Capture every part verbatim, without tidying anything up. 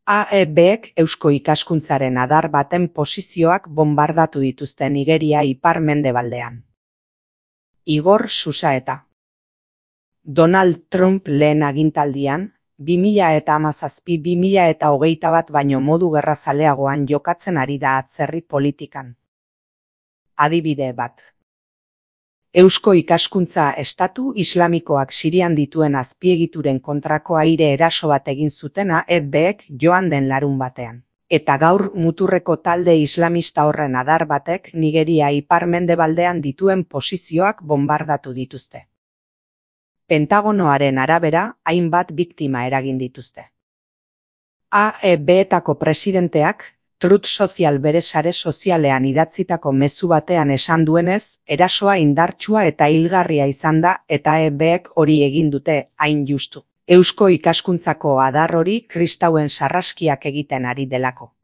A E Bek eusko ikaskuntzaren adar baten posizioak bombardatu dituzte Nigeria ipar-mendebaldean. Igor Xusaeta. Donald Trump lehen agintaldian, bi mila hamazazpi bi mila hogeita bat baino modu gerrazaleagoan jokatzen ari da atzerri politikan. Adibide bat. Eusko ikaskuntza estatu islamikoak Sirian dituen azpiegituren kontrako aire eraso bat egin zuten A E Bek joan den larun batean. Eta gaur muturreko talde islamista horren adar batek Nigeria ipar-mendebaldean dituen posizioak bombardatu dituzte. Pentagonoaren arabera, hainbat biktima eragin dituzte. A E Betako presidenteak, Truth Social bere sare sozialean idatzitako mezu batean esan duenez, erasoa indartsua eta hilgarria izan da eta A E Bek hori egin dute, hain justu. Eusko ikaskuntzako adar hori kristauen sarraskiak egiten ari delako.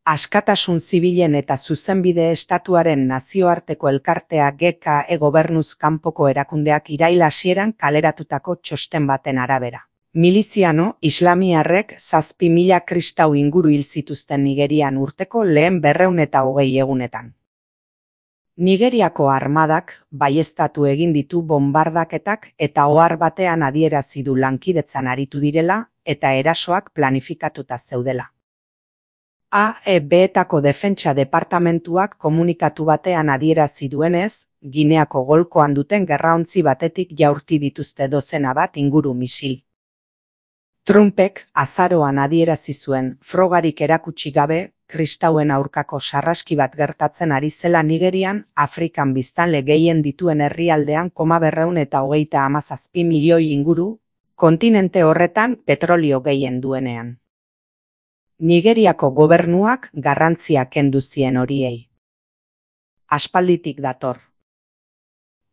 Askatasun zibilen eta zuzenbide estatuaren nazioarteko elkartea G K E gobernuz kanpoko erakundeak irail hasieran kaleratutako txosten baten arabera. Miliziano islamiarrek zazpi mila kristau inguru hil zituzten Nigerian urteko lehen berrehun eta hogei egunetan. Nigeriako armadak baieztatu egin ditu bonbardaketak eta ohar batean adierazi du lankidetzan aritu direla eta erasoak planifikatuta zeudela. A E Betako defentsa departamentuak komunikatu batean adierazi duenez, Gineako golkoan duten gerraontzi batetik jaurti dituzte dozena bat inguru misil. Trumpek azaroan adierazi zuen frogarik erakutsi gabe, kristauen aurkako sarraski bat gertatzen ari zela Nigerian, Afrikan biztanle gehien dituen herrialdean koma berrehun eta hogeita hamazazpi milioi inguru, kontinente horretan petrolio gehien duenean. Nigeriako gobernuak garrantzia kendu zien horiei. Aspalditik dator.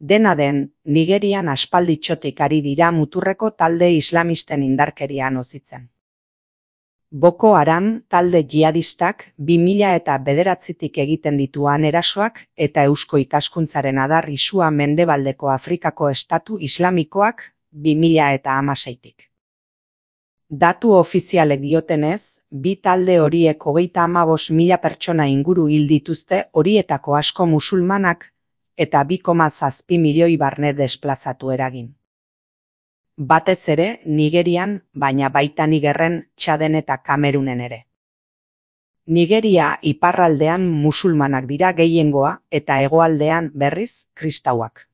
Dena den, Nigerian aspalditxotik ari dira muturreko talde islamisten indarkeria nozitzen. Boko Haram talde jihadistak bi mila eta bederatzitik egiten dituan erasoak eta eusko ikaskuntzaren adar isua mendebaldeko Afrikako estatu islamikoak bi mila eta hamaseitik. Datu ofizialek diotenez, bi talde horiek hogeita hamabost mila pertsona inguru hil dituzte horietako asko musulmanak eta bi koma zazpi milioi barne desplazatu eragin. Batez ere Nigerian, baina baita Nigerren, Txaden eta Kamerunen ere. Nigeria iparraldean musulmanak dira gehiengoa eta hegoaldean berriz kristauak.